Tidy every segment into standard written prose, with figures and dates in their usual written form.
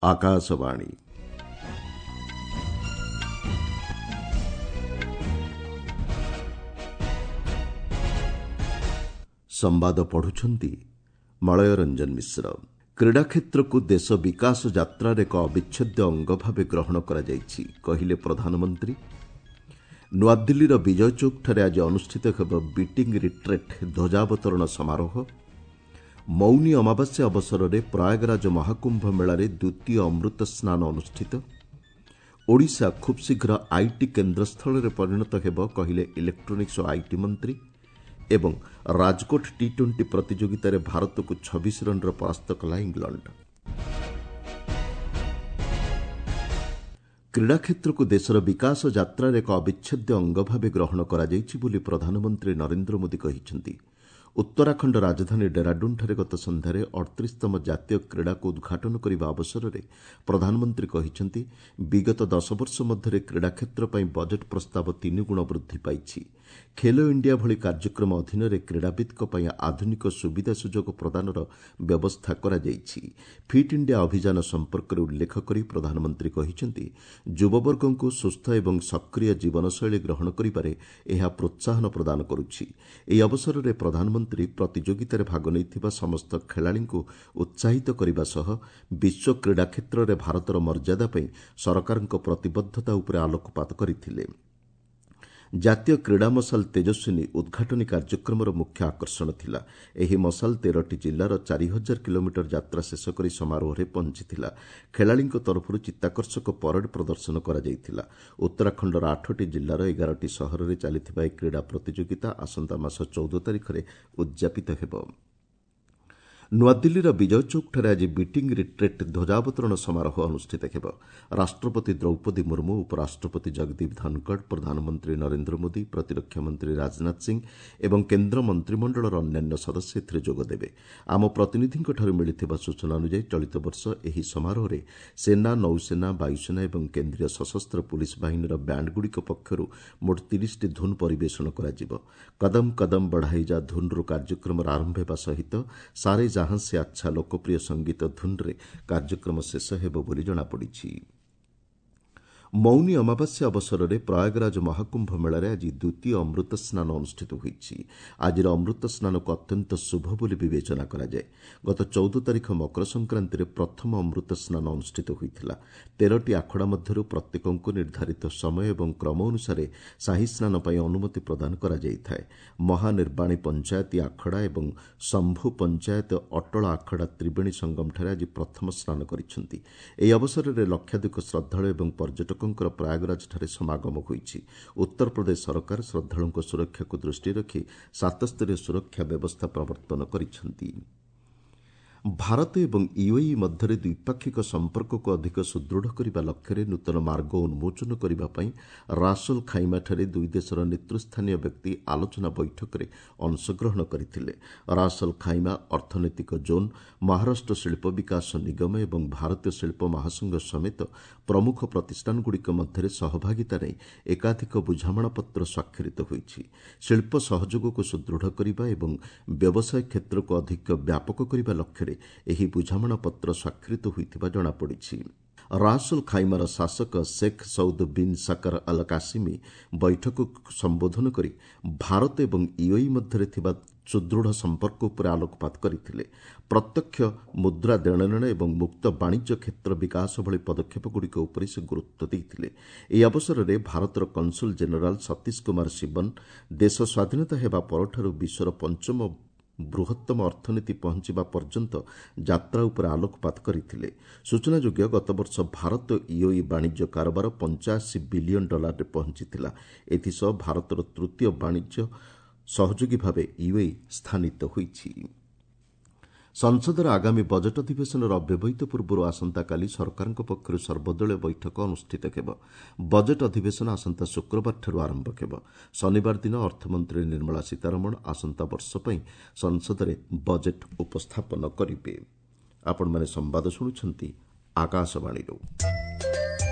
ଆକାଶବାଣୀ। ସମ୍ବାଦ ପଢୁଛନ୍ତି ମଳୟ ରଞ୍ଜନ ମିଶ୍ର। କ୍ରୀଡ଼ା କ୍ଷେତ୍ରକୁ ଦେଶ ବିକାଶ ଯାତ୍ରାର ଏକ ଅବିଚ୍ଛେଦ୍ୟ ଅଙ୍ଗ ଭାବେ ଗ୍ରହଣ କରାଯାଇଛି, କହିଲେ ପ୍ରଧାନମନ୍ତ୍ରୀ। ନୂଆଦିଲ୍ଲୀର ବିଜୟ ଚୌକଠାରେ ଆଜି ଅନୁଷ୍ଠିତ ହେବ ବିଟିଂ ରିଟ୍ରେଟ୍ ଧ୍ୱଜାବତରଣ ସମାରୋହ। ମୌନୀ ଅମାବାସ୍ୟା ଅବସରରେ ପ୍ରୟାଗରାଜ ମହାକୁମ୍ଭ ମେଳାରେ ଦ୍ୱିତୀୟ ଅମୃତ ସ୍ନାନ ଅନୁଷ୍ଠିତ। ଓଡ଼ିଶା ଖୁବ୍ଶୀଘ୍ର IT କେନ୍ଦ୍ରସ୍ଥଳରେ ପରିଣତ ହେବ, କହିଲେ ଇଲେକ୍ଟ୍ରୋନିକ୍ସ ଓ IT ମନ୍ତ୍ରୀ। ଏବଂ ରାଜକୋଟ ଟି ଟ୍ୱେଣ୍ଟି ପ୍ରତିଯୋଗିତାରେ ଭାରତକୁ 26 ରନ୍ରେ ପରାସ୍ତ କଲା ଇଂଲଣ୍ଡ। କ୍ରୀଡ଼ା କ୍ଷେତ୍ରକୁ ଦେଶର ବିକାଶ ଯାତ୍ରାର ଏକ ଅବିଚ୍ଛେଦ୍ୟ ଅଙ୍ଗ ଭାବେ ଗ୍ରହଣ କରାଯାଇଛି ବୋଲି ପ୍ରଧାନମନ୍ତ୍ରୀ ନରେନ୍ଦ୍ର ମୋଦି କହିଛନ୍ତି। ଉତ୍ତରାଖଣ୍ଡ ରାଜଧାନୀ ଡେରାଡୁନ୍ଠାରେ ଗତ ସନ୍ଧ୍ୟାରେ 38ତମ ଜାତୀୟ କ୍ରୀଡ଼ାକୁ ଉଦ୍ଘାଟନ କରିବା ଅବସରରେ ପ୍ରଧାନମନ୍ତ୍ରୀ କହିଛନ୍ତି, ବିଗତ 10 ବର୍ଷ ମଧ୍ୟରେ କ୍ରୀଡ଼ା କ୍ଷେତ୍ର ପାଇଁ ବଜେଟ୍ ପ୍ରସ୍ତାବ ତିନିଗୁଣ ବୃଦ୍ଧି ପାଇଛି। ଖେଲୋ ଇଣ୍ଡିଆ ଭଳି କାର୍ଯ୍ୟକ୍ରମ ଅଧୀନରେ କ୍ରୀଡ଼ାବିତ୍ଙ୍କ ପାଇଁ ଆଧୁନିକ ସୁବିଧା ସୁଯୋଗ ପ୍ରଦାନର ବ୍ୟବସ୍ଥା କରାଯାଇଛି। ଫିଟ୍ ଇଣ୍ଡିଆ ଅଭିଯାନ ସମ୍ପର୍କରେ ଉଲ୍ଲେଖ କରି ପ୍ରଧାନମନ୍ତ୍ରୀ କହିଛନ୍ତି, ଯୁବବର୍ଗଙ୍କୁ ସୁସ୍ଥ ଏବଂ ସକ୍ରିୟ ଜୀବନଶୈଳୀ ଗ୍ରହଣ କରିବାରେ ଏହା ପ୍ରୋତ୍ସାହନ ପ୍ରଦାନ କରୁଛି। ଏହି ଅବସରରେ ପ୍ରଧାନମନ୍ତ୍ରୀ ପ୍ରତିଯୋଗିତାରେ ଭାଗ ନେଇଥିବା ସମସ୍ତ ଖେଳାଳିଙ୍କୁ ଉତ୍ସାହିତ କରିବା ସହ ବିଶ୍ୱ କ୍ରୀଡ଼ା କ୍ଷେତ୍ରରେ ଭାରତର ମର୍ଯ୍ୟାଦା ପାଇଁ ସରକାରଙ୍କ ପ୍ରତିବଦ୍ଧତା ଉପରେ ଆଲୋକପାତ କରିଥିଲେ। ଜାତୀୟ କ୍ରୀଡ଼ା ମଶାଲ ତେଜସ୍ୱିନୀ ଉଦ୍ଘାଟନୀ କାର୍ଯ୍ୟକ୍ରମର ମୁଖ୍ୟ ଆକର୍ଷଣ ଥିଲା। ଏହି ମଶାଲ 13ଟି ଜିଲ୍ଲାର 4000 କିଲୋମିଟର ଯାତ୍ରା ଶେଷ କରି ସମାରୋହରେ ପହଞ୍ଚିଥିଲା। ଖେଳାଳିଙ୍କ ତରଫରୁ ଚିତ୍ତାକର୍ଷକ ପରେଡ୍ ପ୍ରଦର୍ଶନ କରାଯାଇଥିଲା। ଉତ୍ତରାଖଣ୍ଡର 8ଟି ଜିଲ୍ଲାର 11ଟି ସହରରେ ଚାଲିଥିବା ଏହି କ୍ରୀଡ଼ା ପ୍ରତିଯୋଗିତା ଆସନ୍ତା ମାସ 14 ତାରିଖରେ ଉଦ୍ଯାପିତ ହେବ। ନୂଆଦିଲ୍ଲୀର ବିଜୟ ଚୌକଠାରେ ଆଜି ବିଟିଂ ରିଟ୍ରେଟ୍ ଧ୍ୱଜାବତରଣ ସମାରୋହ ଅନୁଷ୍ଠିତ ହେବ। ରାଷ୍ଟ୍ରପତି ଦ୍ରୌପଦୀ ମୁର୍ମୁ, ଉପରାଷ୍ଟ୍ରପତି ଜଗଦୀପ ଧନଖଡ଼, ପ୍ରଧାନମନ୍ତ୍ରୀ ନରେନ୍ଦ୍ର ମୋଦି, ପ୍ରତିରକ୍ଷା ମନ୍ତ୍ରୀ ରାଜନାଥ ସିଂ ଏବଂ କେନ୍ଦ୍ର ମନ୍ତ୍ରିମଣ୍ଡଳର ଅନ୍ୟାନ୍ୟ ସଦସ୍ୟ ଏଥିରେ ଯୋଗଦେବେ। ଆମ ପ୍ରତିନିଧିଙ୍କଠାରୁ ମିଳିଥିବା ସୂଚନା ଅନୁଯାୟୀ ଚଳିତ ବର୍ଷ ଏହି ସମାରୋହରେ ସେନା, ନୌସେନା, ବାୟୁସେନା ଏବଂ କେନ୍ଦ୍ରୀୟ ସଶସ୍ତ୍ର ପୁଲିସ୍ ବାହିନୀର ବ୍ୟାଣ୍ଡଗୁଡ଼ିକ ପକ୍ଷରୁ ମୋଟ 30ଟି ଧୁନ୍ ପରିବେଷଣ କରାଯିବ। କଦମ କଦମ ବଢ଼ାଇ ଯା ଧୁନ୍ରୁ କାର୍ଯ୍ୟକ୍ରମର ଆରମ୍ଭ ହେବା ସହିତ ସାରେ ଜାହାଁ ସେ ଆଚ୍ଛା ଲୋକପ୍ରିୟ ସଙ୍ଗୀତ ଧୁନ୍ରେ କାର୍ଯ୍ୟକ୍ରମ ଶେଷ ହେବ ବୋଲି ଜଣାପଡ଼ିଛି। ମୌନୀ ଅମାବାସ୍ୟା ଅବସରରେ ପ୍ରୟାଗରାଜ ମହାକୁମ୍ଭ ମେଳାରେ ଆଜି ଦ୍ୱିତୀୟ ଅମୃତ ସ୍ନାନ ଅନୁଷ୍ଠିତ ହୋଇଛି। ଆଜିର ଅମୃତ ସ୍ନାନକୁ ଅତ୍ୟନ୍ତ ଶୁଭ ବୋଲି ବିବେଚନା କରାଯାଏ। ଗତ 14 ତାରିଖ ମକର ସଂକ୍ରାନ୍ତିରେ ପ୍ରଥମ ଅମୃତ ସ୍ନାନ ଅନୁଷ୍ଠିତ ହୋଇଥିଲା। 13ଟି ଆଖଡ଼ା ମଧ୍ୟରୁ ପ୍ରତ୍ୟେକଙ୍କୁ ନିର୍ଦ୍ଧାରିତ ସମୟ ଏବଂ କ୍ରମ ଅନୁସାରେ ସାହି ସ୍ନାନ ପାଇଁ ଅନୁମତି ପ୍ରଦାନ କରାଯାଇଥାଏ। ମହାନିର୍ବାଣୀ ପଞ୍ଚାୟତି ଆଖଡ଼ା ଏବଂ ଶମ୍ଭୁ ପଞ୍ଚାୟତ ଅଟଳ ଆଖଡ଼ା ତ୍ରିବେଣୀ ସଙ୍ଗମଠାରେ ଆଜି ପ୍ରଥମ ସ୍ନାନ କରିଛନ୍ତି। ଏହି ଅବସରରେ ଲକ୍ଷାଧିକ ଶ୍ରଦ୍ଧାଳୁ ଏବଂ ପର୍ଯ୍ୟଟକଙ୍କର ପ୍ରୟାଗରାଜଠାରେ ସମାଗମ ହୋଇଛି। ଉତ୍ତରପ୍ରଦେଶ ସରକାର ଶ୍ରଦ୍ଧାଳୁଙ୍କ ସୁରକ୍ଷାକୁ ଦୃଷ୍ଟିରେ ରଖି 7ସ୍ତରୀୟ ସୁରକ୍ଷା ବ୍ୟବସ୍ଥା ପ୍ରବର୍ତ୍ତନ କରିଛନ୍ତି। ଭାରତ ଏବଂ ୟୁଏଇ ମଧ୍ୟରେ ଦ୍ୱିପାକ୍ଷିକ ସମ୍ପର୍କକୁ ଅଧିକ ସୁଦୃଢ଼ କରିବା ଲକ୍ଷ୍ୟରେ ନୂତନ ମାର୍ଗ ଉନ୍ମୋଚନ କରିବା ପାଇଁ ରାସଲ୍ ଖାଇମାଠାରେ ଦୁଇ ଦେଶର ନେତୃସ୍ଥାନୀୟ ବ୍ୟକ୍ତି ଆଲୋଚନା ବୈଠକରେ ଅଂଶଗ୍ରହଣ କରିଥିଲେ। ରାସଲ୍ ଖାଇମା ଅର୍ଥନୈତିକ ଜୋନ୍, ମହାରାଷ୍ଟ୍ର ଶିଳ୍ପ ବିକାଶ ନିଗମ ଏବଂ ଭାରତୀୟ ଶିଳ୍ପ ମହାସଂଘ ସମେତ ପ୍ରମୁଖ ପ୍ରତିଷ୍ଠାନଗୁଡ଼ିକ ମଧ୍ୟରେ ସହଭାଗିତା ନେଇ ଏକାଧିକ ବୁଝାମଣାପତ୍ର ସ୍ୱାକ୍ଷରିତ ହୋଇଛି। ଶିଳ୍ପ ସହଯୋଗକୁ ସୁଦୃଢ଼ କରିବା ଏବଂ ବ୍ୟବସାୟ କ୍ଷେତ୍ରକୁ ଅଧିକ ବ୍ୟାପକ କରିବା ଲକ୍ଷ୍ୟରେ ଏହି ବୁଝାମଣାପତ୍ର ସ୍ୱାକ୍ଷରିତ ହୋଇଥିବା ଜଣାପଡ଼ିଛି। ରାସଲ୍ ଖାଇମାର ଶାସକ Sheikh Saud bin Saqr Al Qasimi ବୈଠକକୁ ସମ୍ବୋଧନ କରି ଭାରତ ଏବଂ ୟୁଏଇ ମଧ୍ୟରେ ଥିବା ସୁଦୃଢ଼ ସମ୍ପର୍କ ଉପରେ ଆଲୋକପାତ କରିଥିଲେ। ପ୍ରତ୍ୟକ୍ଷ ମୁଦ୍ରା ଦେଣନେଣ ଏବଂ ମୁକ୍ତ ବାଣିଜ୍ୟ କ୍ଷେତ୍ର ବିକାଶ ଭଳି ପଦକ୍ଷେପଗୁଡ଼ିକ ଉପରେ ସେ ଗୁରୁତ୍ୱ ଦେଇଥିଲେ। ଏହି ଅବସରରେ ଭାରତର କନସୁଲ ଜେନେରାଲ ସତୀଶ କୁମାର ଶିବନ ଦେଶ ସ୍ୱାଧୀନତା ହେବା ପରଠାରୁ ବିଶ୍ୱର ପଞ୍ଚମ ବୃହତ୍ତମ ଅର୍ଥନୀତି ପହଞ୍ଚିବା ପର୍ଯ୍ୟନ୍ତ ଯାତ୍ରା ଉପରେ ଆଲୋକପାତ କରିଥିଲେ। ସୂଚନାଯୋଗ୍ୟ, ଗତବର୍ଷ ଭାରତ ୟୁଏଇ ବାଣିଜ୍ୟ କାରବାର 85 ବିଲିୟନ ଡଲାରରେ ପହଞ୍ଚିଥିଲା। ଏଥିସହ ଭାରତର ତୃତୀୟ ବାଣିଜ୍ୟ ସହଯୋଗୀ ଭାବେ ୟୁଏଇ ସ୍ଥାନିତ ହୋଇଛି। ସଂସଦର ଆଗାମୀ ବଜେଟ୍ ଅଧିବେଶନର ଅବ୍ୟବହିତ ପୂର୍ବରୁ ଆସନ୍ତାକାଲି ସରକାରଙ୍କ ପକ୍ଷରୁ ସର୍ବଦଳୀୟ ବୈଠକ ଅନୁଷ୍ଠିତ ହେବ। ବଜେଟ୍ ଅଧିବେଶନ ଆସନ୍ତା ଶୁକ୍ରବାରଠାରୁ ଆରମ୍ଭ ହେବ। ଶନିବାର ଦିନ ଅର୍ଥମନ୍ତ୍ରୀ ନିର୍ମଳା ସୀତାରମଣ ଆସନ୍ତା ବର୍ଷ ପାଇଁ ସଂସଦରେ ବଜେଟ୍ ଉପସ୍ଥାପନ କରିବେ। ଆପଣମାନେ ସମ୍ବାଦ ଶୁଣୁଛନ୍ତି ଆକାଶବାଣୀରୁ।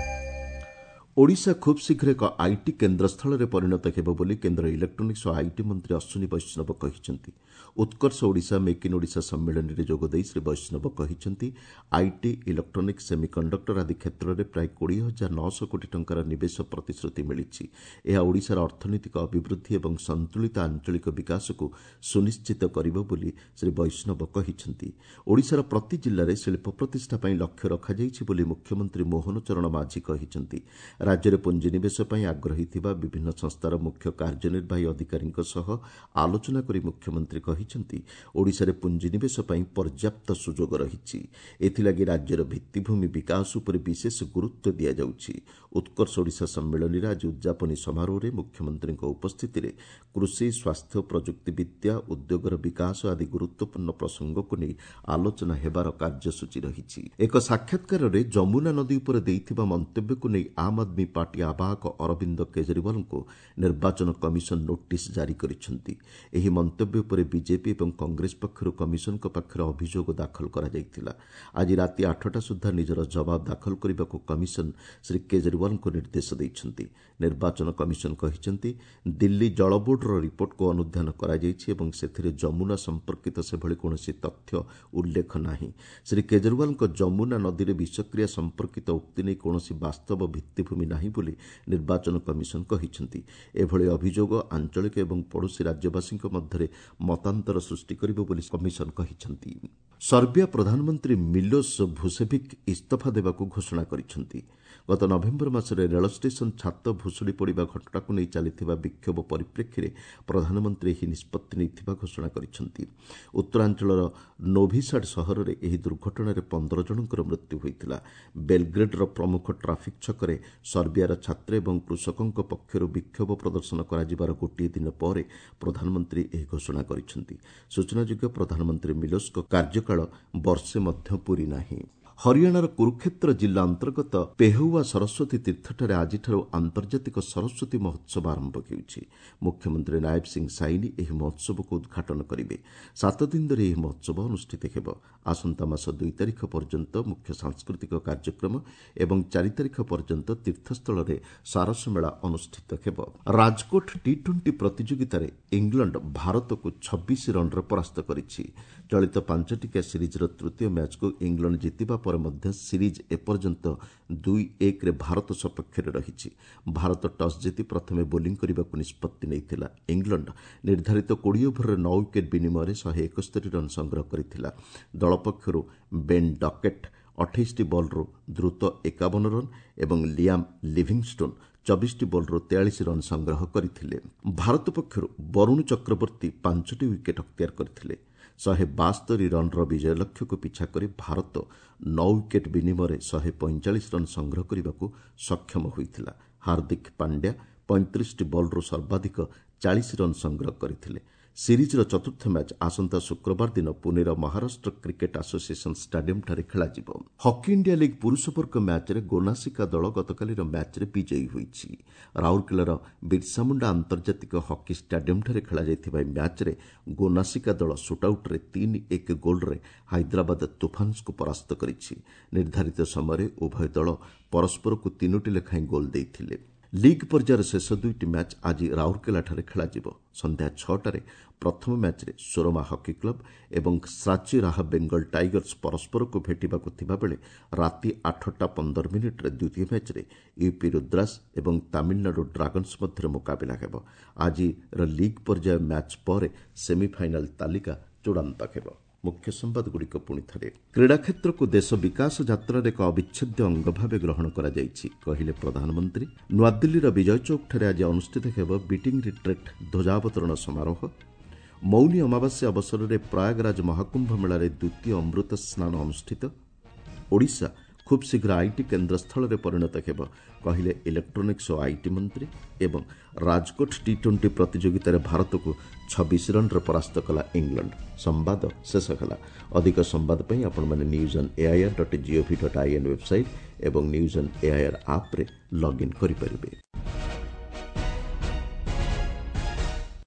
ଓଡ଼ିଶା ଖୁବ୍ ଶୀଘ୍ର ଏକ IT କେନ୍ଦ୍ରସ୍ଥଳରେ ପରିଣତ ହେବ ବୋଲି କେନ୍ଦ୍ର ଇଲେକ୍ଟ୍ରୋନିକ୍ସ ଓ IT ମନ୍ତ୍ରୀ ଅଶ୍ୱିନୀ ବୈଷ୍ଣବ କହିଛନ୍ତି। ଉତ୍କର୍ଷ ଓଡ଼ିଶା ମେକ୍ ଇନ୍ ଓଡ଼ିଶା ସମ୍ମିଳନୀରେ ଯୋଗଦେଇ ଶ୍ରୀ ବୈଷ୍ଣବ କହିଛନ୍ତି, IT, electronics, semiconductor ଆଦି କ୍ଷେତ୍ରରେ ପ୍ରାୟ 20,900 କୋଟି ଟଙ୍କାର ନିବେଶ ପ୍ରତିଶ୍ରୁତି ମିଳିଛି। ଏହା ଓଡ଼ିଶାର ଅର୍ଥନୈତିକ ଅଭିବୃଦ୍ଧି ଏବଂ ସନ୍ତୁଳିତ ଆଞ୍ଚଳିକ ବିକାଶକୁ ସୁନିଶ୍ଚିତ କରିବ ବୋଲି ଶ୍ରୀ ବୈଷ୍ଣବ କହିଛନ୍ତି। ଓଡ଼ିଶାର ପ୍ରତି ଜିଲ୍ଲାରେ ଶିଳ୍ପ ପ୍ରତିଷ୍ଠା ପାଇଁ ଲକ୍ଷ୍ୟ ରଖାଯାଇଛି ବୋଲି ମୁଖ୍ୟମନ୍ତ୍ରୀ ମୋହନ ଚରଣ ମାଝୀ କହିଛନ୍ତି। ରାଜ୍ୟରେ ପୁଞ୍ଜିନିବେଶ ପାଇଁ ଆଗ୍ରହୀ ଥିବା ବିଭିନ୍ନ ସଂସ୍ଥାର ମୁଖ୍ୟ କାର୍ଯ୍ୟନିର୍ବାହୀ ଅଧିକାରୀଙ୍କ ସହ ଆଲୋଚନା କରି ମୁଖ୍ୟମନ୍ତ୍ରୀ କହିଛନ୍ତି, ଓଡ଼ିଶାରେ ପୁଞ୍ଜିନିବେଶ ପାଇଁ ପର୍ଯ୍ୟାପ୍ତ ସୁଯୋଗ ରହିଛି। ଏଥିଲାଗି ରାଜ୍ୟର ଭିତ୍ତିଭୂମି ବିକାଶ ଉପରେ ବିଶେଷ ଗୁରୁତ୍ୱ ଦିଆଯାଉଛି। ଉତ୍କର୍ଷ ଓଡ଼ିଶା ସମ୍ମିଳନୀରେ ଆଜି ଉଦ୍ଯାପନୀ ସମାରୋହରେ ମୁଖ୍ୟମନ୍ତ୍ରୀଙ୍କ ଉପସ୍ଥିତିରେ କୃଷି, ସ୍ୱାସ୍ଥ୍ୟ, ପ୍ରଯୁକ୍ତିବିଦ୍ୟା, ଉଦ୍ୟୋଗର ବିକାଶ ଆଦି ଗୁରୁତ୍ୱପୂର୍ଣ୍ଣ ପ୍ରସଙ୍ଗକୁ ନେଇ ଆଲୋଚନା ହେବାର କାର୍ଯ୍ୟସୂଚୀ ରହିଛି। ଏକ ସାକ୍ଷାତକାରରେ ଯମୁନା ନଦୀ ଉପରେ ଦେଇଥିବା ମନ୍ତବ୍ୟକୁ ନେଇ ଆମ୍ ଆଦମୀ ପାର୍ଟି ଆବାହକ ଅରବିନ୍ଦ କେଜରିୱାଲଙ୍କୁ ନିର୍ବାଚନ କମିଶନ ନୋଟିସ୍ ଜାରି କରିଛନ୍ତି। ଏହି ମନ୍ତବ୍ୟ ଉପରେ ବିଜେପି ଏବଂ କଂଗ୍ରେସ ପକ୍ଷରୁ କମିଶନଙ୍କ ପାଖରେ ଅଭିଯୋଗ ଦାଖଲ କରାଯାଇଥିଲା। ଆଜି ରାତି 8ଟା ସୁଦ୍ଧା ନିଜର ଜବାବ ଦାଖଲ କରିବାକୁ କମିଶନ ଶ୍ରୀ କେଜରିୱାଲଙ୍କୁ ନିର୍ଦ୍ଦେଶ ଦେଇଛନ୍ତି। ନିର୍ବାଚନ କମିଶନ କହିଛନ୍ତି, ଦିଲ୍ଲୀ ଜଳ ବୋର୍ଡର ରିପୋର୍ଟକୁ ଅନୁଧ୍ୟାନ କରାଯାଇଛି ଏବଂ ସେଥିରେ ଯମୁନା ସମ୍ପର୍କିତ ସେଭଳି କୌଣସି ତଥ୍ୟ ଉଲ୍ଲେଖ ନାହିଁ। ଶ୍ରୀ କେଜରିୱାଲଙ୍କ ଯମୁନା ନଦୀରେ ବିଷକ୍ରିୟା ସମ୍ପର୍କିତ ଉକ୍ତି ନେଇ କୌଣସି ବାସ୍ତବ ଭିତ୍ତିଭୂମି ନାହିଁ ବୋଲି ନିର୍ବାଚନ କମିଶନ କହିଛନ୍ତି। ଏଭଳି ଅଭିଯୋଗ ଆଞ୍ଚଳିକ ଏବଂ ପଡ଼ୋଶୀ ରାଜ୍ୟବାସୀଙ୍କ ମଧ୍ୟରେ ମତାନ୍ତର ସୃଷ୍ଟି କରିବ ବୋଲି କମିଶନ କହିଛନ୍ତି। ସର୍ବିଆ ପ୍ରଧାନମନ୍ତ୍ରୀ ମିଲୋସ ଭୁସେଭିକ୍ ଇସ୍ତଫା ଦେବାକୁ ଘୋଷଣା କରିଛନ୍ତି। ଗତ ନଭେମ୍ବର ମାସରେ ରେଳ ଷ୍ଟେସନ ଛାତ ଭୁଶୁଡ଼ି ପଡ଼ିବା ଘଟଣାକୁ ନେଇ ଚାଲିଥିବା ବିକ୍ଷୋଭ ପରିପ୍ରେକ୍ଷୀରେ ପ୍ରଧାନମନ୍ତ୍ରୀ ଏହି ନିଷ୍ପତ୍ତି ନେଇଥିବା ଘୋଷଣା କରିଛନ୍ତି। ଉତ୍ତରାଞ୍ଚଳର ନୋଭିସାଡ୍ ସହରରେ ଏହି ଦୁର୍ଘଟଣାରେ 15 ଜଣଙ୍କର ମୃତ୍ୟୁ ହୋଇଥିଲା। ବେଲଗ୍ରେଡ୍ର ପ୍ରମୁଖ ଟ୍ରାଫିକ୍ ଛକରେ ସର୍ବିଆର ଛାତ୍ର ଏବଂ କୃଷକଙ୍କ ପକ୍ଷରୁ ବିକ୍ଷୋଭ ପ୍ରଦର୍ଶନ କରାଯିବାର ଗୋଟିଏ ଦିନ ପରେ ପ୍ରଧାନମନ୍ତ୍ରୀ ଏହି ଘୋଷଣା କରିଛନ୍ତି। ସୂଚନାଯୋଗ୍ୟ, ପ୍ରଧାନମନ୍ତ୍ରୀ ମିଲୋସଙ୍କ କାର୍ଯ୍ୟକାଳ ବର୍ଷେ ମଧ୍ୟ ପୂରି ନାହିଁ। ହରିୟାଣାର କୁରୁକ୍ଷେତ୍ର ଜିଲ୍ଲା ଅନ୍ତର୍ଗତ ପେହୱା ସରସ୍ୱତୀ ତୀର୍ଥଠାରେ ଆଜିଠାରୁ ଆନ୍ତର୍ଜାତିକ ସରସ୍ୱତୀ ମହୋତ୍ସବ ଆରମ୍ଭ ହେଉଛି। ମୁଖ୍ୟମନ୍ତ୍ରୀ ନାୟବ ସିଂ ସାଇନି ଏହି ମହୋତ୍ସବକୁ ଉଦ୍ଘାଟନ କରିବେ। 7 ଦିନ ଧରି ଏହି ମହୋତ୍ସବ ଅନୁଷ୍ଠିତ ହେବ। ଆସନ୍ତା ମାସ 2 ତାରିଖ ପର୍ଯ୍ୟନ୍ତ ମୁଖ୍ୟ ସାଂସ୍କୃତିକ କାର୍ଯ୍ୟକ୍ରମ ଏବଂ 4 ତାରିଖ ପର୍ଯ୍ୟନ୍ତ ତୀର୍ଥସ୍ଥଳରେ ସାରସ ମେଳା ଅନୁଷ୍ଠିତ ହେବ। ରାଜକୋଟ ଟି-20 ପ୍ରତିଯୋଗିତାରେ ଇଂଲଣ୍ଡ ଭାରତକୁ 26 ରନ୍ରେ ପରାସ୍ତ କରିଛି। ଚଳିତ 5 ଟିକିଆ ସିରିଜ୍ର ତୃତୀୟ ମ୍ୟାଚ୍କୁ ଇଂଲଣ୍ଡ ଜିତିବା ପରେ ମଧ୍ୟ ସିରିଜ୍ ଏପର୍ଯ୍ୟନ୍ତ 2-1ରେ ଭାରତ ସପକ୍ଷରେ ରହିଛି। ଭାରତ ଟସ୍ ଜିତି ପ୍ରଥମେ ବୋଲିଂ କରିବାକୁ ନିଷ୍ପତ୍ତି ନେଇଥିଲା। ଇଂଲଣ୍ଡ ନିର୍ଦ୍ଧାରିତ 20 ଓଭରରେ 9 ୱିକେଟ୍ ବିନିମୟରେ 171 ରନ୍ ସଂଗ୍ରହ କରିଥିଲା। ଦଳ ପକ୍ଷରୁ ବେନ୍ ଡକେଟ୍ 28ଟି ବଲ୍ରୁ ଦ୍ରୁତ 51 ରନ୍ ଏବଂ ଲିଆମ୍ ଲିଭିଂଷ୍ଟୋନ୍ 24ଟି ବଲ୍ରୁ 43 ରନ୍ ସଂଗ୍ରହ କରିଥିଲେ। ଭାରତ ପକ୍ଷରୁ ବରୁଣ ଚକ୍ରବର୍ତ୍ତୀ 5ଟି ୱିକେଟ୍ ଅକ୍ତିଆର କରିଥିଲେ। 172 ରନ୍ର ବିଜୟ ଲକ୍ଷ୍ୟକୁ ପିଛା କରି ଭାରତ 9 ୱିକେଟ୍ ବିନିମୟରେ 145 ରନ୍ ସଂଗ୍ରହ କରିବାକୁ ସକ୍ଷମ ହୋଇଥିଲା। ହାର୍ଦ୍ଦିକ ପାଣ୍ଡ୍ୟା 35ଟି ବଲ୍ରୁ ସର୍ବାଧିକ 40 ରନ୍ ସଂଗ୍ରହ କରିଥିଲେ। ସିରିଜ୍ର ଚତୁର୍ଥ ମ୍ୟାଚ୍ ଆସନ୍ତା ଶୁକ୍ରବାର ଦିନ ପୁନେର ମହାରାଷ୍ଟ୍ର କ୍ରିକେଟ୍ ଆସୋସିଏସନ୍ ଷ୍ଟାଡିୟମ୍ଠାରେ ଖେଳାଯିବ। ହକି ଇଣ୍ଡିଆ ଲିଗ୍ ପୁରୁଷ ବର୍ଗ ମ୍ୟାଚ୍ରେ ଗୋନାସିକା ଦଳ ଗତକାଲିର ମ୍ୟାଚ୍ରେ ବିଜୟୀ ହୋଇଛି। ରାଉରକେଲାର ବିର୍ସାମୁଣ୍ଡା ଆନ୍ତର୍ଜାତିକ ହକି ଷ୍ଟାଡିୟମ୍ଠାରେ ଖେଳାଯାଇଥିବା ଏହି ମ୍ୟାଚ୍ରେ ଗୋନାସିକା ଦଳ ସୁଟ୍ଆଉଟ୍ରେ 3-1 ଗୋଲ୍ରେ ହାଇଦ୍ରାବାଦ ତୁଫାନ୍ସକୁ ପରାସ୍ତ କରିଛି। ନିର୍ଦ୍ଧାରିତ ସମୟରେ ଉଭୟ ଦଳ ପରସ୍ପରକୁ 3ଟି ଲେଖାଏଁ ଗୋଲ୍ ଦେଇଥିଲେ। ଲିଗ୍ ପର୍ଯ୍ୟାୟର ଶେଷ 2ଟି ମ୍ୟାଚ୍ ଆଜି ରାଉରକେଲାଠାରେ ଖେଳାଯିବ। ସନ୍ଧ୍ୟା 6ଟାରେ ପ୍ରଥମ ମ୍ୟାଚ୍ରେ ସୋରମା ହକି କ୍ଲବ୍ ଏବଂ ସାଚି ରାହା ବେଙ୍ଗଲ ଟାଇଗର୍ସ ପରସ୍ପରକୁ ଭେଟିବାକୁ ଥିବାବେଳେ ରାତି 8ଟା 15 ମିନିଟ୍ରେ ଦ୍ୱିତୀୟ ମ୍ୟାଚ୍ରେ ୟୁପି ରୁଦ୍ରାସ୍ ଏବଂ ତାମିଲନାଡୁ ଡ୍ରାଗନ୍ସ ମଧ୍ୟରେ ମୁକାବିଲା ହେବ। ଆଜିର ଲିଗ୍ ପର୍ଯ୍ୟାୟ ମ୍ୟାଚ୍ ପରେ ସେମିଫାଇନାଲ୍ ତାଲିକା ଚୂଡ଼ାନ୍ତ ହେବ। ମୁଖ୍ୟ ସମ୍ବାଦଗୁଡ଼ିକ ପୁଣି ଥରେ। କ୍ରୀଡ଼ା କ୍ଷେତ୍ରକୁ ଦେଶ ବିକାଶ ଯାତ୍ରାର ଏକ ଅବିଚ୍ଛେଦ୍ୟ ଅଙ୍ଗ ଭାବେ ଗ୍ରହଣ କରାଯାଇଛି, କହିଲେ ପ୍ରଧାନମନ୍ତ୍ରୀ। ନୂଆଦିଲ୍ଲୀର ବିଜୟ ଚୌକଠାରେ ଆଜି ଅନୁଷ୍ଠିତ ହେବ ବିଟିଂ ରିଟ୍ରିଟ୍ ଧ୍ୱଜାବତରଣ ସମାରୋହ। ମୌନୀ ଅମାବାସ୍ୟା ଅବସରରେ ପ୍ରୟାଗରାଜ ମହାକୁମ୍ଭ ମେଳାରେ ଦ୍ୱିତୀୟ ଅମୃତ ସ୍ନାନ ଅନୁଷ୍ଠିତ। ଓଡ଼ିଶା ଖୁବ୍ ଶୀଘ୍ର IT କେନ୍ଦ୍ରସ୍ଥଳରେ ପରିଣତ ହେବ, କହିଲେ ଇଲେକ୍ଟ୍ରୋନିକ୍ସ ଓ IT ମନ୍ତ୍ରୀ। ଏବଂ ରାଜକୋଟ ଟି-20 ପ୍ରତିଯୋଗିତାରେ ଭାରତକୁ 26 ରନ୍ରେ ପରାସ୍ତ କଲା ଇଂଲଣ୍ଡ। ସମ୍ବାଦ ଶେଷ ହେଲା। ଅଧିକ ସମ୍ବାଦ ପାଇଁ ଆପଣମାନେ news on AIR.gov.in website ଏବଂ ନ୍ୟୁଜ୍ ଅନ୍ ଏଆଇଆର୍ ଆପ୍ରେ ଲଗ୍ଇନ୍ କରିପାରିବେ।